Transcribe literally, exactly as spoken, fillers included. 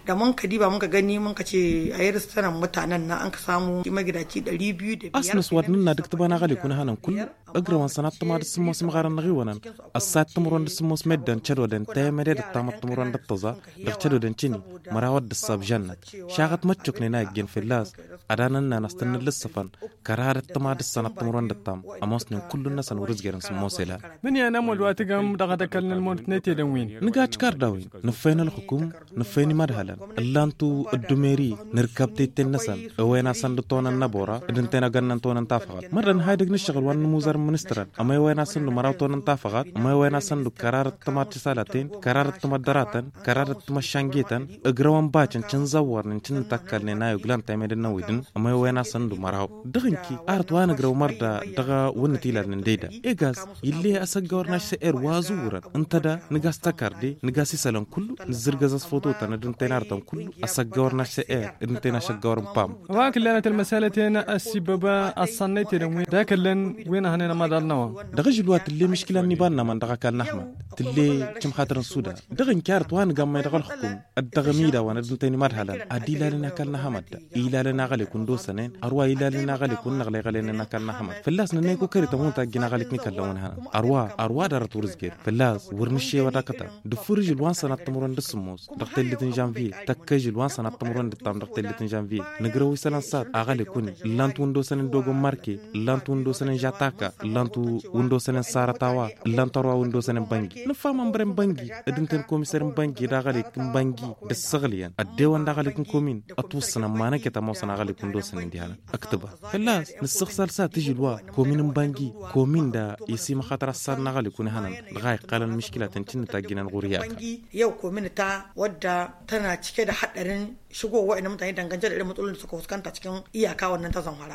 Dăɣ-mǝnkădiba mǝnkăgăni mǝnkăce a irǝstănăn mutanen-năɣ ănkăsamu i-magidaci ɗări biyu d-a s-nǝswad nǝnna d-ǝktǝba n-aɣălek wi n-ehănăn kullu. Ǝgrăwăn sănat tǝma d-sǝmmos imɣarăn n-aɣiwănăn ăssayăt timǝrwen d-sǝmmos meddǝn cădodăn tayămăde d-ăttamăt timǝrwen d-ăṭṭăẓa. Dăɣ-cădodăn cǝni mărawăt d-ăssab žănnăt šaɣăt măččuknen a ǝjjen fălla-s. Ad-anănnan a-s tăn-nǝllǝssăfăn kăra d-ăttăma d-ǝssănăt timǝrwen d-ǝttam. Ămoosnen kullu-năsăn wăr-ǝzjărăn sǝmmos elan. Mǝnyan amălwa tǝgăm dăɣ-ad-ăkălnăl măwănăt n-etedăn-win. Nǝgaj kardawin nǝffăyăn ălxukum, nǝffăyăn imădhălăn ǝllan-tu. Ăddumeri nǝrkab tetten-năsăn ewăyăn-asăn d-tonăn n-abora d-ǝnta-en ăgănnăn tonăn tafăɣat mărdăn ha idăgg n-ǝššăɣǝl wa n-inǝmuzăr n-ministărăn. Ămăyăwăyăn-asăn d-măraw tonăn tafăɣat ămăyăwăyăn-asăn d-kăra d-ăttăma d-tisalaten kăra d-ăttăma d-dăratăn kăra d-ăttăma d-šangetăn. Ǝgrăwăn bacăn cǝnzăwwărnen cǝnnǝtakkălnen a i-oglan tamedăn n-ewedǝn. Ămăyăwăyăn-asăn d-măraw dăɣ-ǝnki arăt wa nǝgrăw mărda dăɣ-wănnăt ilalnen dăyda. Egaz ill'-e asăggawăr n-ašsă'er wa zǝwwărăn ǝnta da nǝgas tăkarde nǝgas isălăn kullu. Nǝzzǝrgăz ăsfototăn d-ǝnta-en arătăn kullu ăsăggawăr n-ašsă'er d-ǝnta-en ašăggawăr n-pam. Wa n-kǝllanăt ălmăsalăt-en ăssibbăb ăṣṣannăytedăn wi d-akăllen wi n-ehănen ămadal-năwăn. Dăɣ-ažǝl wa tǝll'-e miškǝla n-iba-nămăn dăɣ-akall n-ahmăd tǝll'-e cǝmxatăr n-sudan. Dăɣ-ǝnki arăt wa nǝgammăy dăɣ-ălxǝkum ăddăɣăm idawăn d-ǝnta-en imădhălăn ad-ilalăn akall n-ahmăd da ilalăn aɣălek wǝnda osănen. Ărwa ilalăn aɣălek wǝnnăɣlăy ɣălenen akall n-ahmăd fălla-s nănnăy kukări tămut a ǝjjǝn aɣălek n-ikăllăn wǝnhănăn. Ărwa ărwa dd-arăt wăr-ǝzged fălla-s wăr nǝššewăd akătăb. Dăɣ-făr ažǝl wa n-sănat timǝrwen d-sǝmmos dăɣ-tellet n-žănviye tăkk ažǝl wa n-sănat timǝrwen d-ǝttam dăɣ-tellet n-žănviye. Nǝgrăw isălan sad aɣălek-wǝnnin ǝllan-t wǝnda osănen dogon marke ǝllan-t wǝnda osănen žataka ǝllan-t wǝnda osănen sarătawa ǝllan-t ărwa wǝnda osănen băngi. Nǝffa mănbăren băngi d-ǝnta-en komiser n-băngi d-aɣălek n-băngi d-ǝssăɣlǝyăn ăddewăn d-aɣălek n-komin. Ătwǝssǝnăn ma năkăt ămoosăn aɣălek wǝnda osănen dihanăn ǝktǝba fălla-s nǝssăɣsal s-ad-t-ižǝl wa komin n-băngi komin da i-simăxatăr ăssad n-aɣălek wǝnhănăn. Dăɣ-a iqqalăn miškǝlatăn cǝnnǝtajjǝnăn ɣur-i aka. Yăw komin ta wădda tăna cike d-ahăḍḍărăn šăgo wa inămătăn idăngăn jădăd imǝṭṭulăn d-săkăwăskăn ta cikin iyaka wănnăn tăẓănhăra.